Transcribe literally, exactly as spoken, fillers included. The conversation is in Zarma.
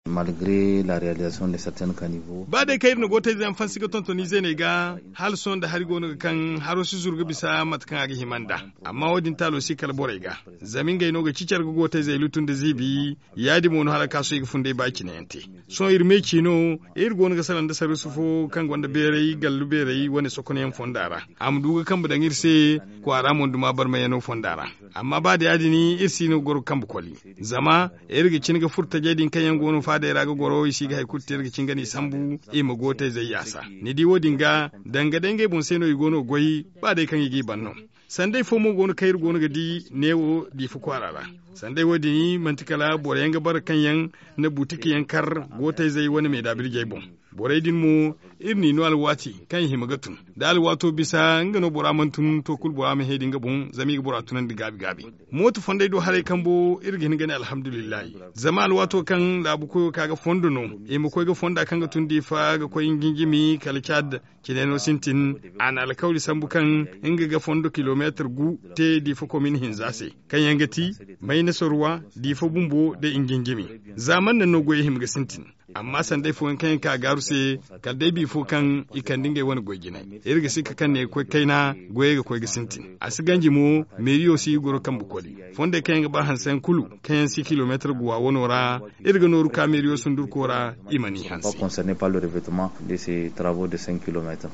Malgre la realization de certaines caniveaux. Ba day kaŋ iri na gootayze yaŋ fansi ga tonton izeeney ga, hala sohõ nda hari go no ga kaŋ haro si zuru ga bisa mate kaŋ a ga hima nd'a. Amma wo- din taalo si kala borey ga, zama ngey no ga cicar ga gootayzey lutu nda ziibi. Ya- din mo no hala kaasoy ga funday ba cine yaŋ te. Sohõ iri me ci no, iri go no ga salaŋ nda sarrusu fo kaŋ gonda beeray gallu beeray wane sokonyaŋ fonda ra, a ma du ga kambe daŋ iri se kwaara monduma barmayaŋo fonda ra. Amma ba da ya- din iri si no ga goro ga kambe koli, zama iri ga cine ga furo tajey din kaŋ yaŋ go no faadey ra ga goro i si ga hari kulu te iri ga cine ga no i sambu, i ma gootayzey yaasa. Ni di wo- din ga, danga day ngey boŋ se no i go no ga goy. Ba day kaŋ i g'i ban no. Sanday fo mo go no kaŋ iri go no ga di neewo diifa kwaara ra. Sanday wo- din manti kala boro yaŋ ga bara kaŋ yaŋ na buutik yaŋ kar gootayzey wane meedaabirjey boŋ. Borey din mo, iri n'i no alwaati kaŋ i hima ga tun. Da alwaato bisa nga no bora mana tun to kulu bora ma heedi nga boŋ zama i ga bora tunandi gaabi gaabi. Mooto fonday do haray kambo iri ga hin ga ne alhamdulillahi. Zama alwaato kaŋ laabu koyo ka ga fondo no, i ma koy ga fonda kaŋ ga tun diifa ga koy injinjimi kala caad. Cine no sintin, a na alkawli sambu kaŋ nga ga fondo kilomeetar gu te diifa komin hinza se, kaŋ yaŋ ga ti maynasorwa, diifa bumbo nda injinjimi. Za man naŋ no goyey hima ga sintin. Amma sanday fooyaŋ kaŋ yaŋ ka gaaru se, kala day biifo kaŋ i kande ngey wane goy jinay. Iri ga sikka kaŋ ne ga koy kayna, goyey ga koy ga sintin. A si ganji mo, meeriyo si ga goro kambe koli. Fondey kaŋ yaŋ ga ba hanse yaŋ kulu, kaŋ yaŋ si kilomeetar guwa wano ra, iri ga nooru ka meeriyo sundurko ra, i ma n'i hanse. Concerne par le revêtement de ces travaux de cinq kilomètres.